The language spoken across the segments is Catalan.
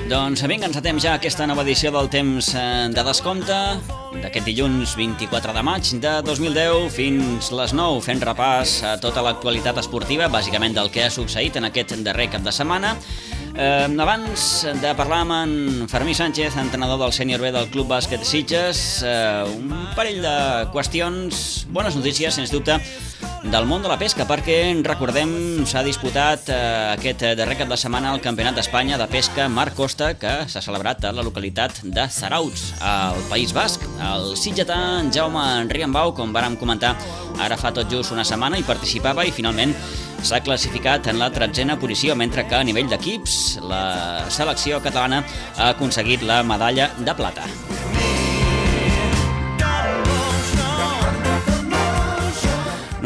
Doncs vinga, encetem ja aquesta nova edició del Temps de Descompte d'aquest dilluns 24 de maig de 2010 fins les 9, fent repàs a tota l'actualitat esportiva, bàsicament del que ha succeït en aquest darrer cap de setmana. Abans de parlar amb en Fermí Sánchez, entrenador del Sènior B del Club Bàsquet Sitges, un parell de qüestions, bones notícies, sens dubte, del món de la pesca, perquè, recordem, s'ha disputat aquest darrer cap de setmana el Campionat d'Espanya de Pesca Mar Costa, que s'ha celebrat a la localitat de Zarautz, al País Basc. El sitgetà en Jaume Riambau, com vàrem comentar ara fa tot just una setmana, hi participava i finalment s'ha classificat en la 13a posició, mentre que a nivell d'equips la selecció catalana ha aconseguit la medalla de plata.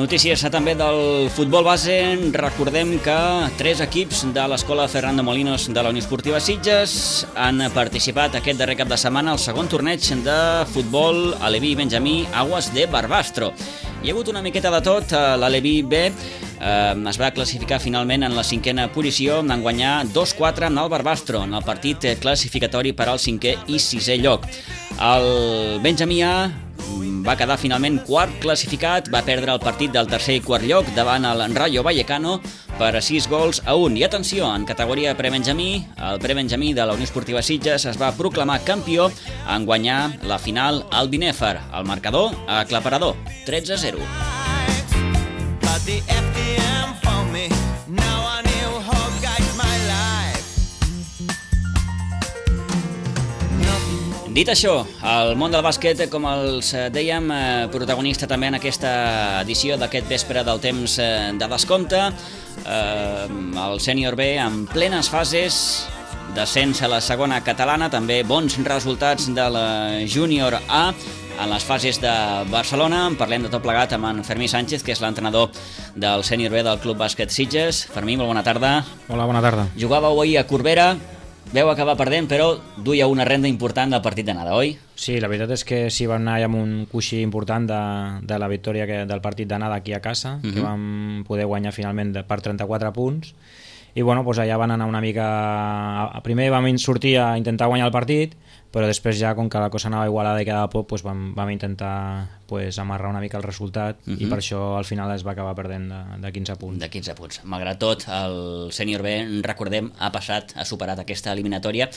Notícies també del futbol base. Recordem que 3 equips de l'escola Fernando Molinos de la Unió Esportiva Sitges han participat aquest darrer cap de setmana al segon torneig de futbol aleví benjamí Aguas de Barbastro. Hi ha hagut una miqueta de tot. L'Aleví B es va classificar finalment en la 5a posició, en guanyar 2-4 amb el Barbastro en el partit classificatori per al 5è i 6è lloc. El benjamí A va quedar finalment quart classificat, va perdre el partit del tercer i quart lloc davant el Rayo Vallecano per 6-1. I atenció, en categoria prebenjamí, el prebenjamí de la Unió Esportiva Sitges es va proclamar campió en guanyar la final al Binèfar. El marcador aclaparador, 13-0. Dit això, el món del bàsquet, com els dèiem, protagonista també en aquesta edició d'aquest vespre del Temps de Descompte. El Sènior B en plenes fases, descens a la segona catalana, també bons resultats de la Júnior A en les fases de Barcelona. En parlem de tot plegat amb en Fermí Sánchez, que és l'entrenador del Sènior B del Club Bàsquet Sitges. Fermí, molt bona tarda. Hola, bona tarda. Jugàveu ahir a Corbera. Veu acabar perdent, però duia una renda important del partit d'anada, oi? Sí, la veritat és que sí, vam anar amb un coixí important de la victòria del partit d'anada aquí a casa, que vam poder guanyar finalment per 34 punts. I bueno, doncs allà van anar una mica... Primer vam sortir a intentar guanyar el partit, però després ja, com que la cosa anava igualada i quedava poc, doncs vam intentar amarrar una mica el resultat i per això al final es va acabar perdent de 15 punts. De 15 punts. Malgrat tot, el Sènior B, recordem, ha superat aquesta eliminatòria.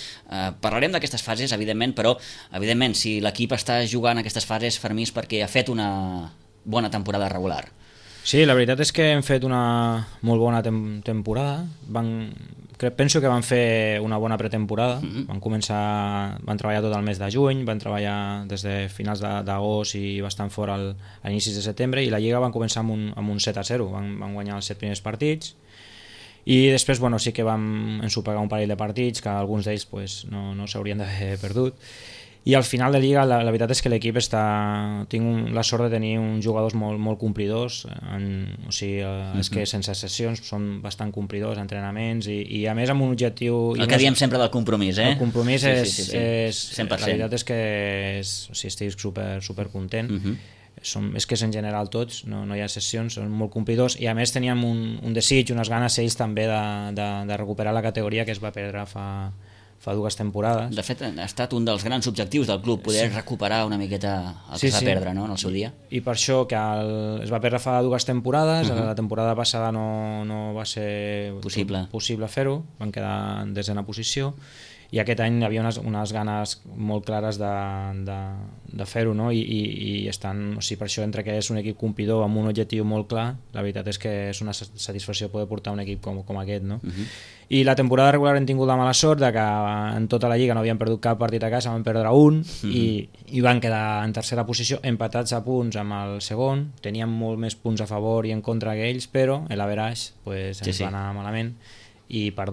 Parlarem d'aquestes fases, evidentment, però evidentment, si l'equip està jugant aquestes fases, Fermí, és perquè ha fet una bona temporada regular. Sí, la veritat és que hem fet una molt bona temporada. Penso que van fer una bona pretemporada. Van treballar tot el mes de juny, van treballar des de finals d'agost i bastant fora a inicis de setembre, i la Lliga van començar amb un 7-0. Van guanyar els 7 primers partits i després sí que vam ensopegar un parell de partits que alguns d'ells no s'haurien d'haver perdut. I al final de Lliga la veritat és que l'equip tinc la sort de tenir uns jugadors molt complidors, és que sense sessions són bastant complidors, entrenaments i a més amb un objectiu... El que diem sempre del compromís, eh? El compromís és 100%. La veritat és que estic super content. És que és en general tots, no hi ha sessions, són molt complidors i a més teníem un desig, unes ganes ells també de recuperar la categoria que es va perdre fa 2 temporades. De fet, ha estat un dels grans objectius del club, poder recuperar una miqueta el que es va perdre, no?, en el seu dia. I per això que es va perdre fa 2 temporades, la temporada passada no va ser possible fer-ho, van quedar en 10a posició, i aquest any hi havia unes ganes molt clares de fer-ho, no? I per això, entre que és un equip complidor amb un objectiu molt clar, la veritat és que és una satisfacció poder portar un equip com aquest, no? I la temporada regular hem tingut la mala sort de que en tota la Lliga no havien perdut cap partit a casa, van perdre un i van quedar en 3a posició, empatats a punts amb el segon, tenien molt més punts a favor i en contra que ells, però l'average ens va anar malament, i per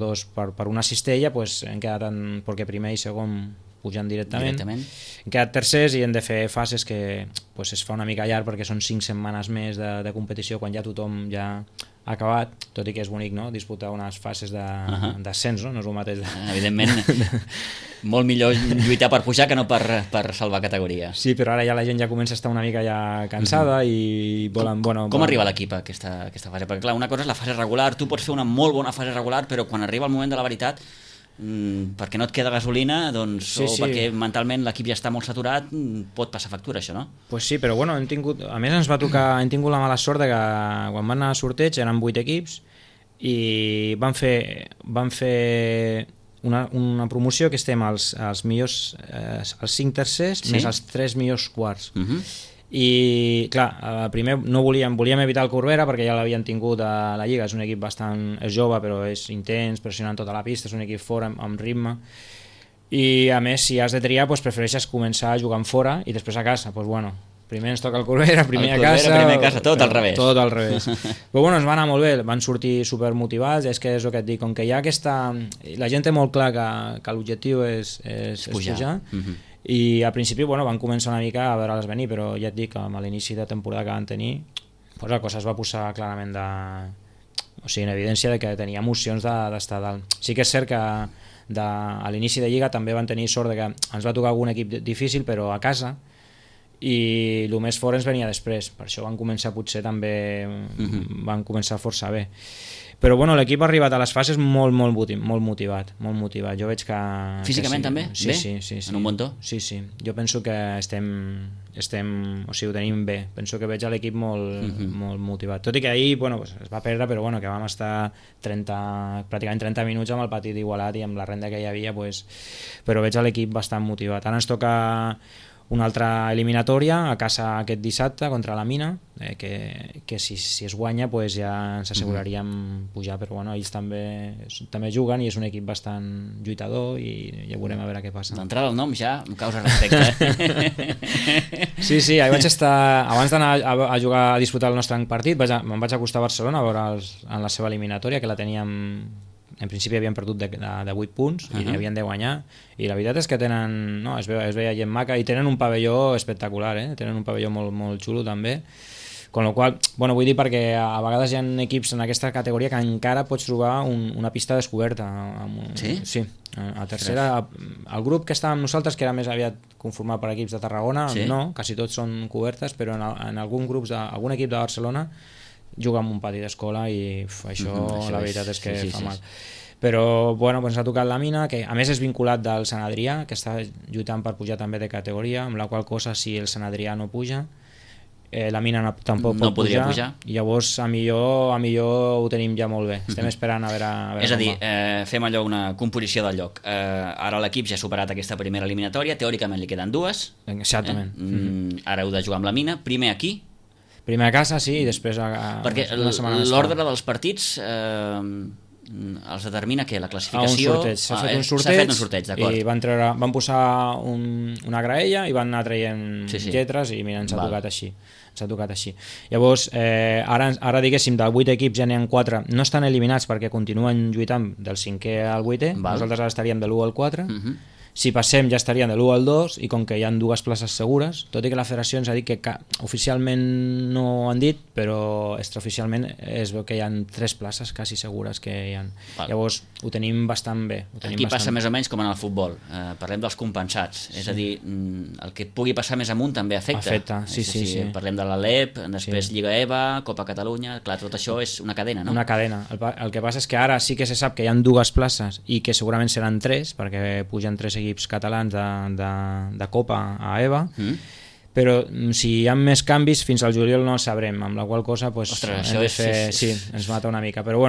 una cistella hem quedat perquè primer i segon pujan directament. Hem quedat tercers i hem de fer fases que es fa una mica llarg perquè són 5 setmanes més de competició quan ja tothom ja ha acabat, tot i que és bonic, no?, disputar unes fases d'ascens, no és el mateix. Evidentment, molt millor lluitar per pujar que no per salvar categoria. Sí, però ara ja la gent ja comença a estar una mica ja cansada i volen... Com arriba l'equip a aquesta fase? Perquè clar, una cosa és la fase regular, tu pots fer una molt bona fase regular, però quan arriba el moment de la veritat perquè no et queda gasolina, doncs, o perquè mentalment l'equip ja està molt saturat, pot passar factura això, no? Pues sí, però bueno, a més ens va tocar, hem tingut la mala sort de que quan van anar a sorteig eren 8 equips i van fer una promoció que estem els millors, els 5 tercers més els 3 millors quarts. I clar, primer no volíem evitar el Corbera perquè ja l'havien tingut a la Lliga, és un equip és jove però és intens, pressionant tota la pista, és un equip fora amb ritme, i a més si has de triar prefereixes començar jugant fora i després a casa, doncs bueno, primer ens toca el Corbera, primer a casa, tot al revés. Tot al revés. Però bueno, ens va anar molt bé, van sortir supermotivats, és que és el que et dic, com que hi ha aquesta... La gent té molt clar que l'objectiu és pujar. I al principi van començar una mica a veure-les venir, però ja et dic, a l'inici de temporada que van tenir, la cosa es va posar clarament en evidència de que tenia emocions d'estar dalt. Sí que és cert que a l'inici de Lliga també van tenir sort de que ens va tocar algun equip difícil, però a casa, i el més fort ens venia després, per això van començar potser també van començar força bé, però bueno, l'equip ha arribat a les fases molt motivat, jo veig que... Físicament també? Sí. En un bon to? Sí, jo penso que ho tenim bé, penso que veig l'equip molt motivat, tot i que ahir es va perdre, però que vam estar pràcticament 30 minuts amb el partit igualat i amb la renda que hi havia, però veig l'equip bastant motivat. Ara ens toca una altra eliminatòria a casa aquest dissabte contra la Mina, que si es guanya ja ens asseguraríem pujar, però ells també juguen i és un equip bastant lluitador i ja veurem a veure què passa. D'entrada el nom ja em causa respecte. Sí, ahir vaig estar, abans d'anar a jugar a disputar el nostre partit, me'n vaig acostar a Barcelona a veure'ls en la seva eliminatòria, que la teníem... En principi havien perdut de 8 punts i havien de guanyar, i la veritat és que tenen, es veia gent maca i tenen un pavelló espectacular, tenen un pavelló molt xulo també, con lo qual, vull dir perquè a vegades hi ha equips en aquesta categoria que encara pots trobar una pista descoberta. Sí? Sí, a tercera, el grup que estava amb nosaltres, que era més aviat conformat per equips de Tarragona, no, quasi tots són cobertes, però en algun equip de Barcelona juga en un pati d'escola i això la veritat és que fa mal. Però ens ha tocat la Mina, que a més és vinculat del Sant Adrià, que està lluitant per pujar també de categoria, amb la qual cosa si el Sant Adrià no puja, la Mina tampoc pot pujar, i llavors a millor ho tenim ja molt bé, estem esperant a veure és a dir, fem allò una composició del lloc, ara l'equip ja ha superat aquesta primera eliminatòria, teòricament li queden 2, exactament, ara heu de jugar amb la Mina, primer aquí, primer a casa, sí, i després perquè l'ordre dels partits els determina que la classificació s'ha fet un sorteig, d'acord, i van posar una graella i van anar traient lletres i mira, ens ha tocat així. Llavors, ara diguéssim, de 8 equips ja n'hi ha 4, no estan eliminats perquè continuen lluitant del 5è al 8è, nosaltres ara estaríem de l'1 al 4, si passem ja estaríem de l'1 al 2, i com que hi ha 2 places segures, tot i que la federació ens ha dit que oficialment no ho han dit, però extraoficialment es veu que hi ha 3 places quasi segures que hi ha. Llavors ho tenim bastant bé. Aquí passa més o menys com en el futbol, parlem dels compensats, és a dir, el que pugui passar més amunt també afecta. Sí. Parlem de l'Alep, després Lliga EVA, Copa Catalunya, clar, tot això és una cadena, no? Una cadena. El que passa és que ara sí que se sap que hi ha 2 places i que segurament seran 3, perquè pugen 3 equips catalans de Copa a EVA, però si hi ha més canvis fins al juliol no el sabrem, amb la qual cosa ens mata una mica, però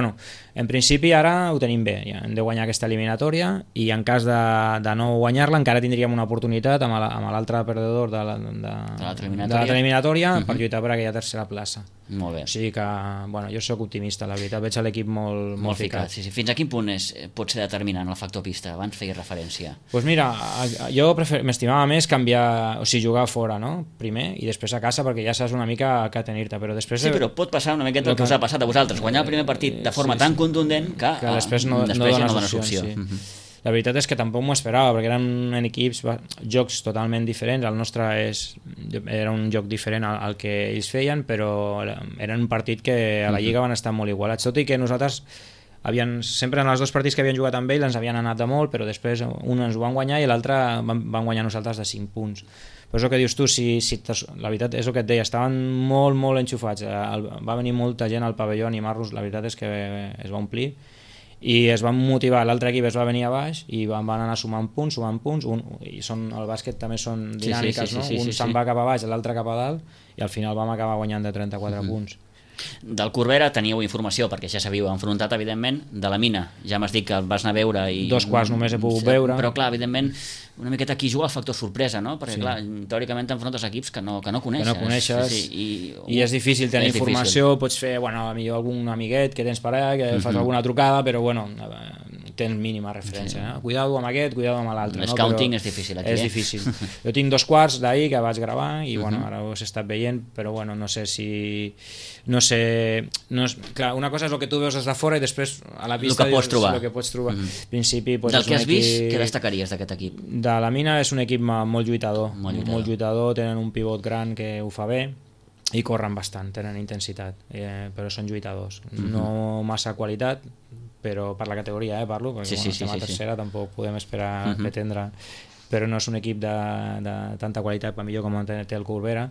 en principi ara ho tenim bé, ja hem de guanyar aquesta eliminatòria i en cas de no guanyar-la encara tindríem una oportunitat amb l'altre perdedor de l'altra eliminatòria per lluitar per aquella tercera plaça. Molt bé. O sigui que, jo soc optimista, la veritat, veig l'equip molt ficat. Sí. Fins a quin punt pot ser determinant el factor pista? Abans feia referència. Doncs mira, jo m'estimava més jugar fora, no? Primer, i després a casa, perquè ja saps una mica què tenir-te, però després... Sí, però pot passar una miqueta el que us ha passat a vosaltres, guanyar el primer partit de forma tan contundent que després no dona opció. La veritat és que tampoc m'ho esperava, perquè eren equips, jocs totalment diferents, el nostre era un joc diferent al que ells feien, però era un partit que a la Lliga van estar molt igualats, tot i que nosaltres sempre en els 2 partits que havien jugat amb ells ens havien anat de molt, però després un ens ho van guanyar i l'altre van guanyar nosaltres de 5 punts. Però és el que dius tu, la veritat és el que et deia, estaven molt enxufats, va venir molta gent al pavelló a animar-los, la veritat és que es va omplir, i es van motivar, l'altre equip es va venir a baix i van anar sumant punts, i el bàsquet també són dinàmiques, no? Un se'n va cap a baix, l'altre cap a dalt, i al final vam acabar guanyant de 34 punts. Del Corbera teníeu informació, perquè ja s'havíeu enfrontat, evidentment. De la Mina, ja m'has dit que el vas anar a veure i... 2 quarts només he pogut veure. Però clar, evidentment, una miqueta aquí juga el factor sorpresa, no? Perquè clar, teòricament t'enfrontes equips que no coneixes. I és difícil tenir informació, pots fer, millor algun amiguet que tens per allà, que fas alguna trucada, però tens mínima referència. Cuidado amb aquest, cuidado amb l'altre. Scouting és difícil aquí. És difícil. Jo tinc 2 quarts d'ahir que vaig gravar i ara ho he estat veient, però no sé si... Clar, una cosa és el que tu veus des de fora i després a la pista el que pots trobar. Principi, del que has vist, què destacaries d'aquest equip? De la Mina és un equip molt lluitador, molt lluitador, tenen un pivot gran que ho fa bé i corren bastant, tenen intensitat, però són lluitadors. No massa qualitat, però per la categoria parlo, perquè estem a tercera, tampoc podem esperar pretendre, però no és un equip de tanta qualitat per millor com té el Corbera,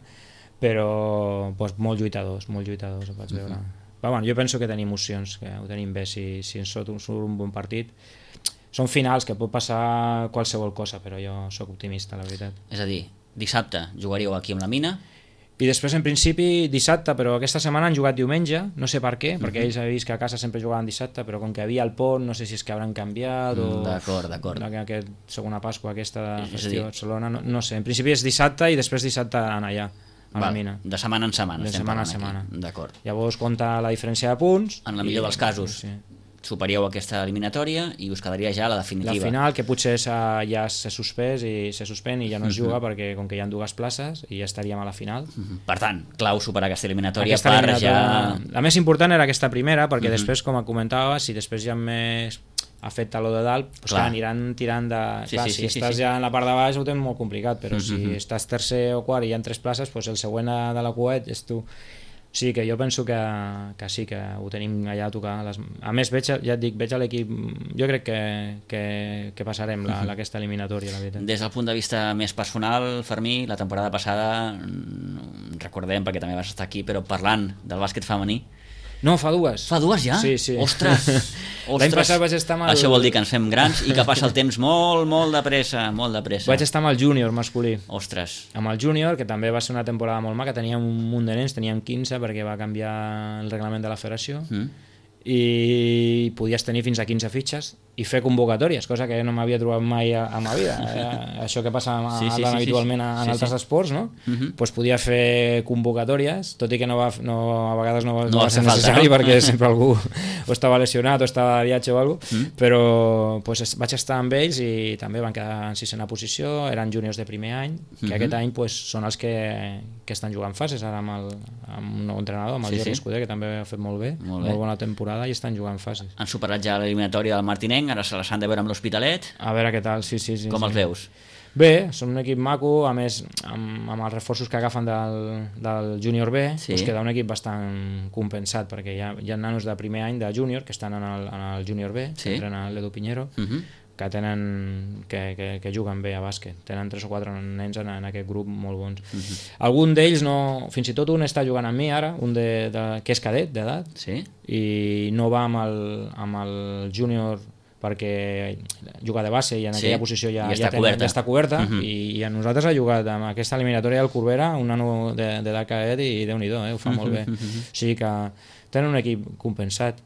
però molt lluitadors, ho vaig veure. Però jo penso que tenim opcions, que ho tenim bé si ens surt un bon partit. Són finals que pot passar qualsevol cosa, però jo sóc optimista, la veritat. És a dir, dissabte jugaríeu aquí amb la Mina, i després en principi dissabte, però aquesta setmana han jugat diumenge, no sé per què, perquè ells han vist que a casa sempre jugaven dissabte, però com que havia el pont, no sé si és que hauran canviat o... D'acord. Segona Pasqua, aquesta festió a Barcelona, no sé, en principi és dissabte i després dissabte anar allà, a la Mina. De setmana en setmana. De setmana a setmana. D'acord. Llavors compta la diferència de punts. En la millor dels casos. Superíeu aquesta eliminatòria i us quedaria ja la definitiva. La final, que potser ja s'ha suspès i se suspèn i ja no es juga perquè com que hi ha 2 places i ja estaríem a la final. Per tant, clau superar aquesta eliminatòria per ja... La més important era aquesta primera, perquè després, com comentava, si després ja més afecta lo de dalt, aniran tirant de... Si estàs ja en la part de baix ho tens molt complicat, però si estàs tercer o quart i hi ha 3 places, el següent de la cuet és tu. Sí, que jo penso que sí, que ho tenim allà a tocar. A més, ja et dic, veig l'equip, jo crec que passarem aquesta eliminatòria, la veritat. Des del punt de vista més personal, Fermí, la temporada passada, recordem, perquè també vas estar aquí, però parlant del bàsquet femení, no, fa 2. Fa 2 ja? Sí. Ostres! L'any passat vaig estar amb Això vol dir que ens fem grans i que passa el temps molt de pressa. Vaig estar amb el júnior masculí. Ostres! Amb el júnior, que també va ser una temporada molt maca, teníem un munt de nens, teníem 15 perquè va canviar el reglament de la federació, i podies tenir fins a 15 fitxes i fer convocatòries, cosa que no m'havia trobat mai a ma vida. Això que passa habitualment en altres esports, no? Pues podia fer convocatòries, tot i que a vegades no va ser necessari, perquè sempre algú o estava lesionat o estava de viatge o alguna cosa, però vaig estar amb ells i també van quedar en 6ª posició, eren júniors de primer any, que aquest any són els que estan jugant fases ara amb un nou entrenador, amb el Jordi Escudé, que també ha fet molt bé, molt bona temporada, i estan jugant fases. Han superat ja l'eliminatòria del Martinenc, ara se les han de veure amb l'Hospitalet. A veure què tal, sí. Com els veus? Bé, són un equip maco, a més amb els reforços que agafen del júnior B, queda un equip bastant compensat, perquè hi ha nanos de primer any de júnior que estan en el júnior B, que entrena l'Edu Piñero, que juguen bé a bàsquet. Tenen 3 o 4 nens en aquest grup molt bons. Algun d'ells fins i tot un està jugant amb mi ara, un que és cadet d'edat, i no va amb el júnior perquè juga de base i en aquella posició ja està coberta, i a nosaltres ha jugat amb aquesta eliminatòria del Corbera, un nano d'edat cadet, i Déu-n'hi-do, ho fa molt bé. O sigui que tenen un equip compensat,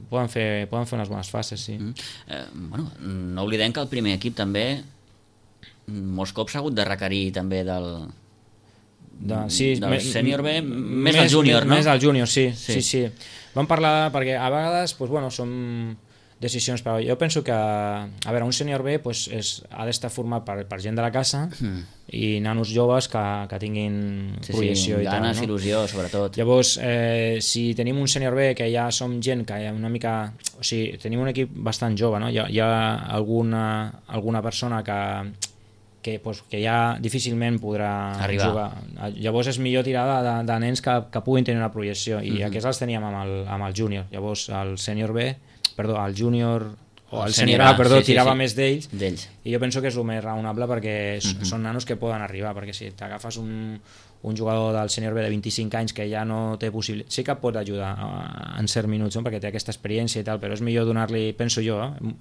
poden fer unes bones fases, sí. No oblidem que el primer equip també molts cops ha hagut de requerir també del sènior B, més del júnior, no? Més del júnior, sí. Vam parlar, perquè a vegades són decisions, però jo penso que un sènior B ha d'estar format per gent de la casa i nanos joves que tinguin projecció i tal. Ganes, il·lusió, sobretot. Llavors, si tenim un sènior B que ja som gent que una mica... O sigui, tenim un equip bastant jove, no? Hi ha alguna persona que ja difícilment podrà jugar. Llavors és millor tirar de nens que puguin tenir una projecció, i aquests els teníem amb el júnior. Llavors el sènior B, el júnior o el sènior A, tirava més d'ells, i jo penso que és el més raonable perquè són nanos que poden arribar, perquè si t'agafes un un jugador del sènior B de 25 anys que ja no té possibilitat, sí que pot ajudar en certs minuts, no? Perquè té aquesta experiència i tal, però és millor donar-li, penso jo,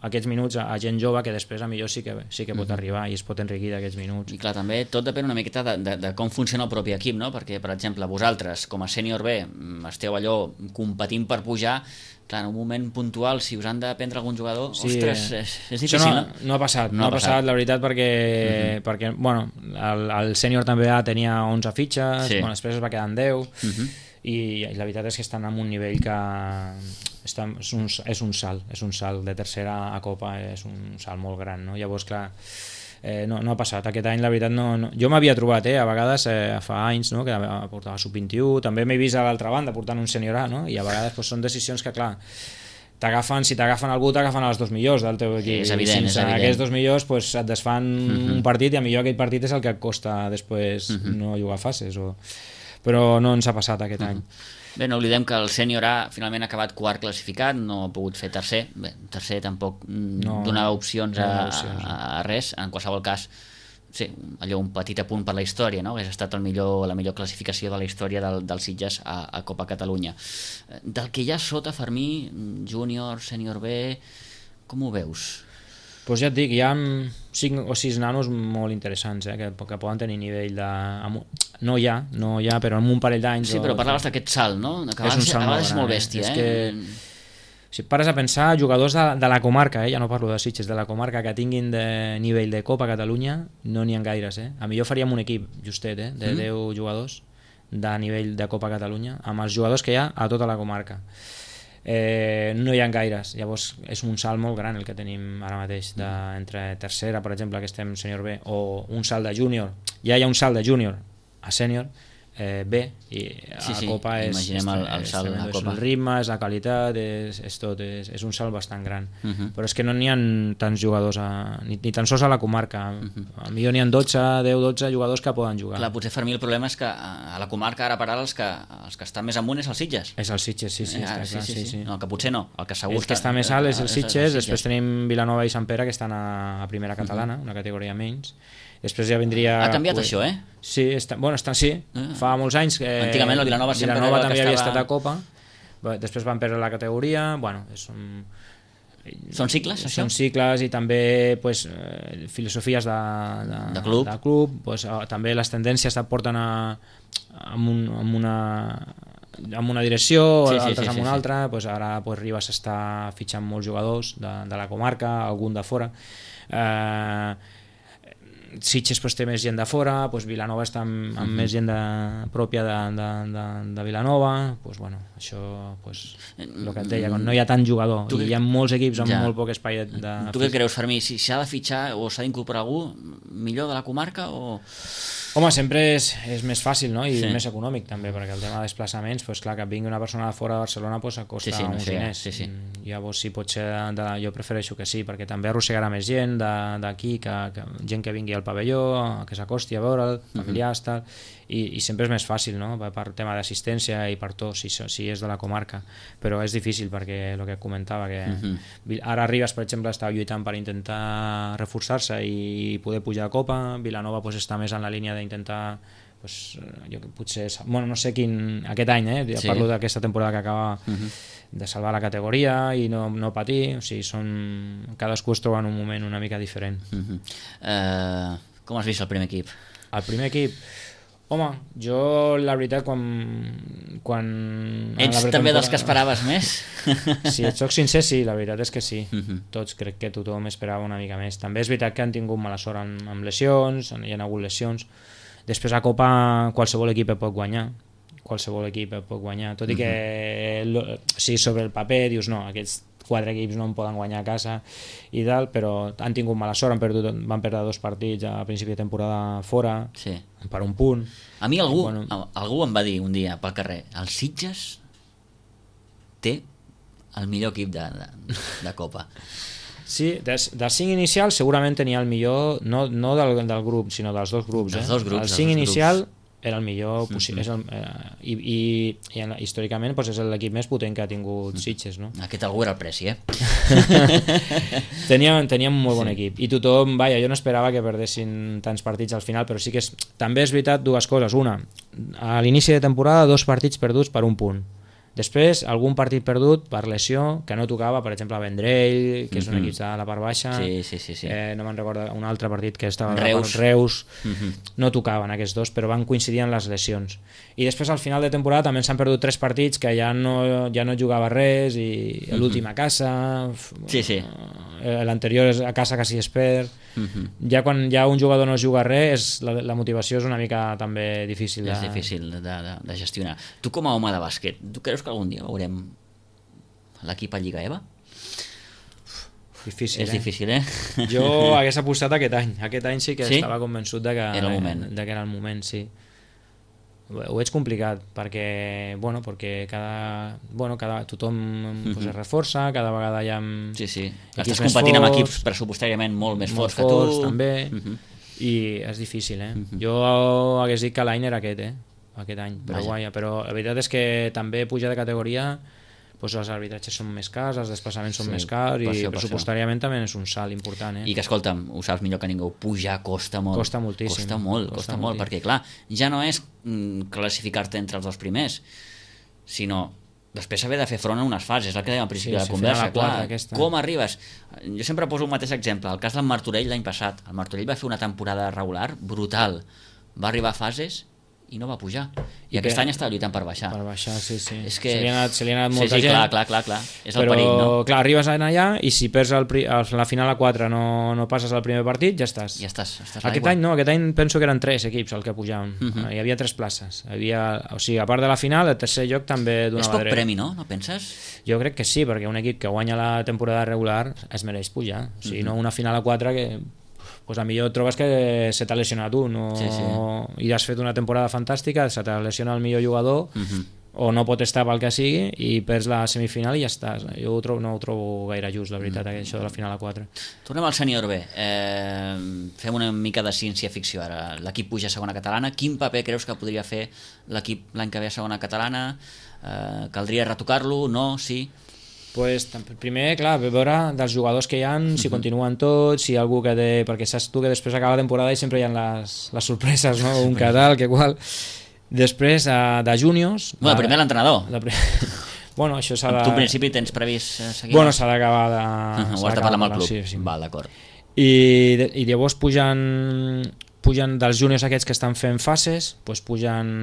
aquests minuts a gent jove que després a millor sí que pot arribar i es pot enriquir d'aquests minuts. I clar, també tot depèn una miqueta de com funciona el propi equip, no? Perquè, per exemple, vosaltres, com a sènior B, esteu allò competint per pujar, clar, en un moment puntual, si us han de prendre algun jugador, sí, ostres, és difícil, no? No ha passat, no ha passat, la veritat, perquè bueno, el sènior també tenia 11 fitxes, sí. Bueno, després es va quedar en 10, i la veritat és que estan en un nivell que és un salt de tercera a Copa, és un salt molt gran, no? Llavors, clar, no ha passat, aquest any la veritat no. Jo m'havia trobat a vegades fa anys, no? Que portava sub-21, també m'he vist a l'altra banda portant un sènior A, no? I a vegades són decisions que clar si t'agafen algú t'agafen a les dos millors del teu equip, és evident, i sense aquests dos millors et desfan un partit i a millor aquell partit és el que et costa després no jugar fases però no ens ha passat aquest any. Bé, no oblidem que el sènior A finalment ha acabat quart classificat, no ha pogut fer tercer. Bé, tercer tampoc donava opcions a res. En qualsevol cas, sí, allò un petit apunt per la història, no? Hauria estat la millor classificació de la història del Sitges a Copa Catalunya. Del que hi ha sota, Fermí, júnior, sènior B, com ho veus? Doncs ja et dic, hi ha 5 o 6 nanos molt interessants que poden tenir nivell de... No hi ha, però en un parell d'anys... Sí, però parlaves d'aquest salt, no? Que a vegades és molt bèstia, és que, si et pares a pensar, jugadors de la comarca, ja no parlo de Sitges, de la comarca que tinguin de nivell de Copa Catalunya, no n'hi ha gaires. A millor faríem un equip justet, de 10 jugadors de nivell de Copa Catalunya, amb els jugadors que hi ha a tota la comarca. No hi ha gaires, llavors és un salt molt gran el que tenim ara mateix entre tercera, per exemple, que estem sènior B, o un salt de júnior, ja hi ha un salt de júnior a sènior B, i a Copa imaginem el salt a Copa. El ritme, és la qualitat, és tot, és un salt bastant gran, però és que no n'hi ha tants jugadors ni tan sols a la comarca, a millor n'hi ha 10-12 jugadors que poden jugar. Clar, potser Fermí el problema és que a la comarca ara per ara els que estan més amunt és el Sitges. És el Sitges, sí. No, el que potser no, el que segur que està més alt és el Sitges, després tenim Vilanova i Sant Pere que estan a primera catalana, una categoria menys. Després ja vindria... Ha canviat això, eh? Sí, fa molts anys que antigament el Vilanova sempre també havia estat a Copa, després van perdre la categoria, bueno, són cicles, això? Són cicles i també filosofies de club, també les tendències et porten amb una direcció, altres amb una altra, ara Ribas està fitxant molts jugadors de la comarca, algun de fora, Sitges té més gent de fora, Vilanova està amb més gent pròpia de Vilanova, això el que et deia, no hi ha tant jugador i hi ha molts equips amb molt poc espai de... Tu què creus, Fermí? Si s'ha de fitxar o s'ha d'incorporar algú millor de la comarca o... Home, sempre és més fàcil, no? I més econòmic també, perquè el tema de desplaçaments, clar, que vingui una persona de fora de Barcelona costa uns diners. Llavors, si pot ser, jo prefereixo que sí, perquè també arrossegarà més gent d'aquí, gent que vingui al pavelló, que s'acosti a veure'l, familiars, tal, i sempre és més fàcil, no? Per tema d'assistència i per tot, si és de la comarca, però és difícil perquè el que comentava, que ara Ribas, per exemple, està lluitant per intentar reforçar-se i poder pujar a Copa, Vilanova està més en la línia d'intentar, potser, no sé quin, aquest any, parlo d'aquesta temporada que acaba de salvar la categoria i no patir, o sigui, cadascú es troba en un moment una mica diferent. Com has vist el primer equip? El primer equip? Home, jo la veritat quan... Ets també dels que esperaves més? Si et soc sincer, sí, la veritat és que sí. Tots, crec que tothom esperava una mica més. També és veritat que han tingut mala sort amb lesions, hi ha hagut lesions. Després a Copa qualsevol equip pot guanyar, tot i que sobre el paper dius no, aquests 4 equips no en poden guanyar a casa i tal, però han tingut mala sort, van perdre 2 partits a principi de temporada fora, per un punt. A mi algú em va dir un dia pel carrer, el Sitges té el millor equip de Copa. Sí, dels 5 inicials segurament tenia el millor, no del grup, sinó dels dos grups. Els 2 grups. El 5 inicial era el millor possible. I històricament és l'equip més potent que ha tingut Sitges, no? Aquest algú era el Preci, Teníem un molt bon equip i tothom, jo no esperava que perdessin tants partits al final, però sí que també és veritat dues coses. Una, a l'inici de temporada 2 partits perduts per un punt. Després, algun partit perdut per lesió, que no tocava, per exemple, a Vendrell, que és un equip de la part baixa, no me'n recordo, un altre partit que estava Reus, no tocaven aquests dos, però van coincidir en les lesions. I després, al final de temporada, també s'han perdut 3 partits que ja no jugava res, i l'últim a casa, l'anterior a casa quasi es perd. Ja quan ja un jugador no juga res, la motivació és una mica també difícil. És difícil de gestionar. Tu com a home de bàsquet, tu creus que algun dia veurem l'equip a Lliga EVA? Difícil, és difícil, Jo hagués apostat aquest any. Aquest any sí que estava convençut que era el moment, sí. Ho veig complicat perquè tothom es reforça, cada vegada hi ha estàs competint amb equips pressupostàriament molt més forts que tu també, i és difícil. Jo hagués dit que l'any era aquest any, però la veritat és que també pujar de categoria, els arbitratges són més cars, els desplaçaments són més cars, i pressupostàriament també és un salt important. I que, escolta'm, ho saps millor que ningú, pujar costa molt. Costa moltíssim. Costa molt, perquè clar, ja no és classificar-te entre els 2 primers, sinó després haver de fer front a unes fases, el que dèiem al principi de la conversa. Com arribes? Jo sempre poso un mateix exemple, el cas del Martorell l'any passat. El Martorell va fer una temporada regular brutal, va arribar a fases i no va pujar, i aquest any està lluitant per baixar. És que se li ha anat molta gent. Clar, és el perill, no? Però clar, arribes allà i si perds la final a 4 no passes al primer partit, ja estàs. Aquest any penso que eren 3 equips el que pujaven. Hi havia 3 places. A part de la final, el tercer lloc també donava dret. És poc premi, no? No penses? Jo crec que sí, perquè un equip que guanya la temporada regular es mereix pujar. No una final a 4 que a millor et trobes que se t'ha lesionat tu i has fet una temporada fantàstica, se t'ha lesionat el millor jugador o no pot estar pel que sigui i perds la semifinal i ja estàs. Jo no ho trobo gaire just, la veritat, això de la final a 4. Tornem al sènior B. Fem una mica de ciència-ficció ara. L'equip puja a segona catalana. Quin paper creus que podria fer l'equip l'any que ve a segona catalana? Caldria retocar-lo? No? Sí? Primer, clar, veure dels jugadors que hi ha, si continuen tots, si hi ha algú que perquè saps tu que després acaba la temporada i sempre hi ha les sorpreses, no? Un que tal, que qual. Després, de júniors... Primer l'entrenador. Això s'ha de... Tu, en principi, tens previst seguir? S'ha d'acabar de... Ho has de parlar amb el club. Sí. Val, d'acord. I llavors pugen dels júniors aquests que estan fent fases, pugen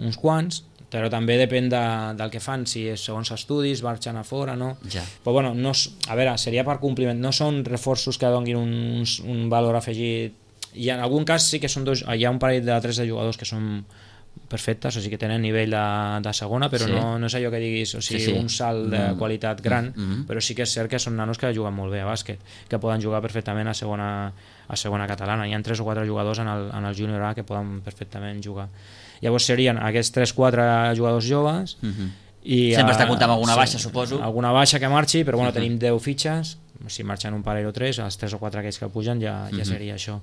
uns quants, però també depèn del que fan, si és segons estudis, marxen a fora, no? Però a veure, seria per compliment, no són reforços que donin un valor afegit, i en algun cas sí que són hi ha un parell de 3 de jugadors que són perfectes, o sigui que tenen nivell de segona, però no és allò que diguis, un salt de qualitat gran, però sí que és cert que són nanos que juguen molt bé a bàsquet, que poden jugar perfectament a segona catalana. Hi ha 3 o 4 jugadors en el júnior A que poden perfectament jugar. Llavors serien aquests 3-4 jugadors joves. Sempre està comptant amb alguna baixa, suposo. Alguna baixa que marxi, però tenim 10 fitxes, si marxen un parell o 3, els 3 o 4 aquells que pugen ja seria això.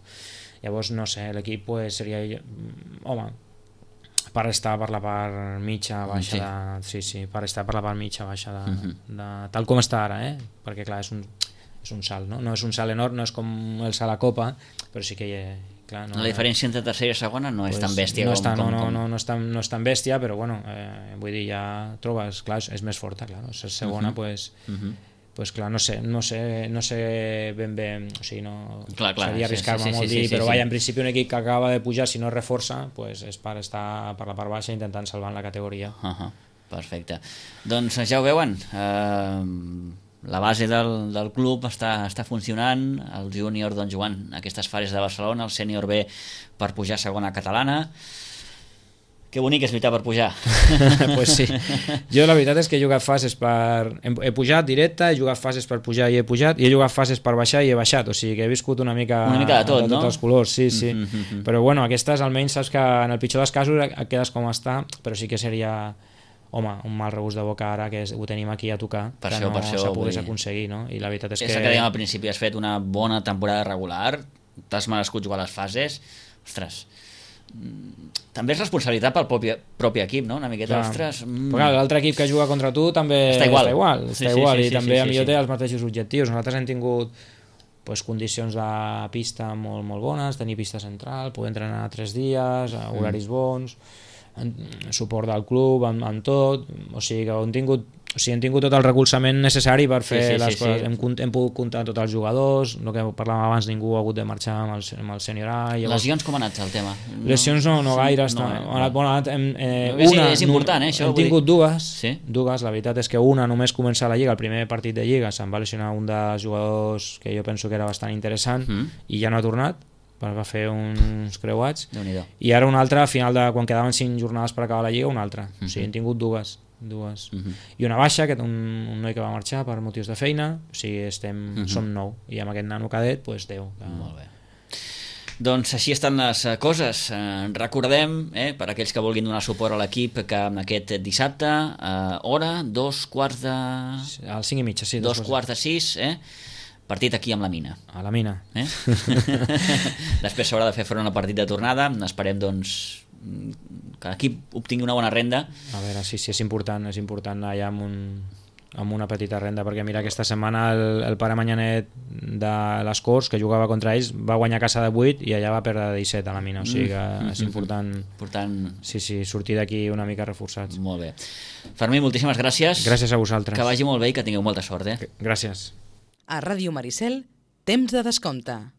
Llavors, no sé, l'equip seria... Home, per estar per la part mitja baixa per estar per la part mitja baixa tal com està ara, perquè clar, és un salt, no és un salt enorme, no és com el salt a Copa, però sí que clar, la diferència entre tercera i segona no és tan bèstia no és tan bèstia, però vull dir, ja trobes, clar, és més forta, clar, és segona, clar, no sé ben bé, o sigui, seria arriscar-me molt dir, però en principi un equip que acaba de pujar, si no es reforça, és per estar per la part baixa intentant salvar la categoria. Perfecte. Doncs ja ho veuen, la base del club està funcionant, el júnior jugant aquestes fases de Barcelona, el sènior B per pujar a segona catalana. Que bonic és lluitar per pujar. Pues sí. Jo la veritat és que he jugat fases he pujat directe, he jugat fases per pujar i he pujat, i he jugat fases per baixar i he baixat, o sigui que he viscut una mica de tot, no? Tots els colors, sí. Però aquestes almenys saps que en el pitjor dels casos et quedes com està, però sí que seria... Home, un mal regust de boca ara que ho tenim aquí a tocar, que no s'ha pogués aconseguir, no? I la veritat és que... que dèiem al principi, has fet una bona temporada regular, t'has merescut jugar a les fases, ostres, també és responsabilitat pel propi equip, no? Una miqueta, ostres... Però clar, l'altre equip que juga contra tu també està igual, i també millor té els mateixos objectius. Nosaltres hem tingut condicions de pista molt, molt bones, tenir pista central, poder entrenar 3 dies, horaris bons, suport del club amb tot, o sigui que hem tingut tot el recolzament necessari per fer les coses. Hem pogut comptar tots els jugadors, el que parlàvem abans, ningú ha hagut de marxar amb el sènior A. Lesions com ha anat el tema? Lesions no gaire. És important, això. Hem tingut dues, la veritat és que una només comença la Lliga, el primer partit de Lliga se'n va lesionar un dels jugadors que jo penso que era bastant interessant i ja no ha tornat, va fer uns creuats, i ara una altra, al final quan quedaven 5 jornades per acabar la Lliga, una altra. O sigui, hem tingut dues. I una baixa, que un noi que va marxar per motius de feina, o sigui, som 9, i amb aquest nano cadet, 10. Molt bé. Doncs així estan les coses. Recordem, per aquells que vulguin donar suport a l'equip, que aquest dissabte, hora, 2:15... Al 5:30, sí. 2:15, partit aquí amb la Mina. A la Mina. Després s'haurà de fer front al partit de tornada. Esperem, doncs, que l'equip obtingui una bona renda. A veure, sí, és important allà amb una petita renda, perquè mira, aquesta setmana el pare Manyanet de les Corts, que jugava contra ells, va guanyar a casa de 8 i allà va perdre de 17 a la Mina, o sigui que és important sortir d'aquí una mica reforçats. Molt bé. Fermí, moltíssimes gràcies. Gràcies a vosaltres. Que vagi molt bé i que tingueu molta sort. Gràcies. A Ràdio Maricel, temps de descompte.